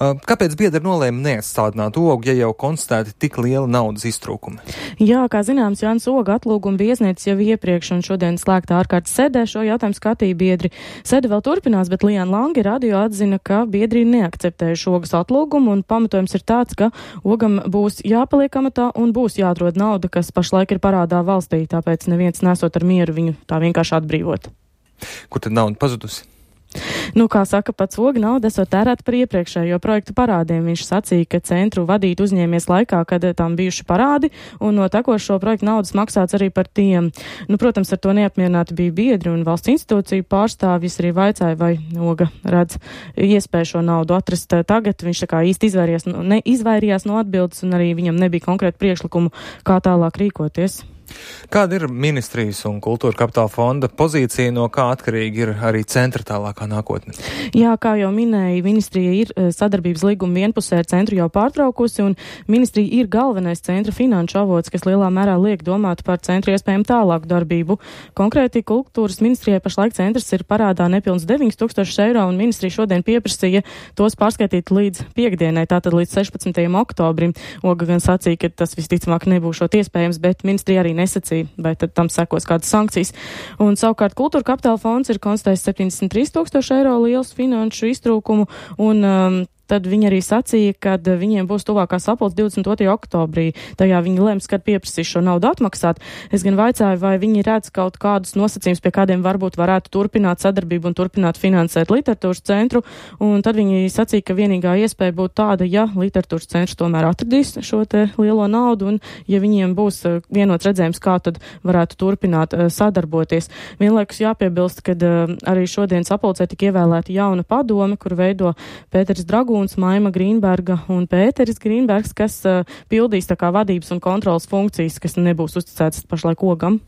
Kāpēc biedri nolēma neatstādināt Ogu, ja jau konstatēti tik liela naudas iztrūkumi? Jā, kā zināms, Jānis Oga atlūguma bija iesniedzis jau iepriekš, un šodien slēgtā ārkārtas sēdē šo jautājumu skatīja biedri. Sēde vēl turpinās, bet Liana Lange radio atzina, ka biedri neakceptējuši Ogas atlūgumu, un pamatojums ir tāds, ka Ogam būs jāpaliek amatā un būs jāatrod nauda, kas pašlaik ir parādā valstī, tāpēc neviens nesot ar mieru viņu tā vienkārši atbrīvot. Kur tad nauda pazudusi? Kā saka pats Oga, nauda esot tērēta par iepriekšējo projektu parādiem. Viņš sacīja, ka centru vadīt uzņēmies laikā, kad tam bijuši parādi, un no tekošo projektu naudas maksāts arī par tiem. Protams, ar to neapmierināti bija biedri un valsts institūciju pārstāvjus arī vaicāja, vai Oga redz iespēju šo naudu atrast tagad. Viņš tā kā īsti izvairījās no atbildes, un arī viņam nebija konkrēti priekšlikumu, kā tālāk rīkoties. Kāda ir ministrijas un kultūra kapitāla fonda pozīcija, no kā atkarīgi ir arī centra tālākā nākotne? Jā, kā jau minēja, ministrija ir sadarbības līguma vienpusē ar centru jau pārtraukusi, un ministrija ir galvenais centra finanšu avots, kas lielā mērā liek domāt par centru iespējamu tālāku darbību. Konkrēti kultūras ministrijai pašlaik centrs ir parādā nepilns 9000 eiro, un ministrija šodien pieprasīja tos pārskaitīt līdz piekdienai, tātad līdz 16. oktobrim. Oga gan sacīja, ka tas visticamāk nebūšot iespējams, bet ministrija arī nesacīja, vai tad tam sekos kādas sankcijas. Un savukārt kultūra kapitāla fonds ir konstatējis 73 000 eiro liels finanšu iztrūkumu, un tad viņi arī sacīja, ka viņiem būs tuvākā sapulce 22. oktobrī. Tajā viņi lems, kad pieprasīs šo naudu atmaksāt. Es gan vaicāju, vai viņi redz kaut kādus nosacījumus, pie kādiem varbūt varētu turpināt sadarbību un turpināt finansēt literatūras centru. Un tad viņi sacīja, ka vienīgā iespēja būtu tāda, ja literatūras centrs tomēr atradīs šo te lielo naudu un ja viņiem būs vienots redzējums, kā tad varētu turpināt sadarboties. Vienlaikus jāpiebilst, ka arī šodien sapulcē tika ievēlēta jauna padome, kur veido Pēters Dragūns, Maima Grīnberga un Pēteris Grīnbergs, kas pildīs tā kā vadības un kontrolas funkcijas, kas nebūs uzticētas pašlaik Ogam.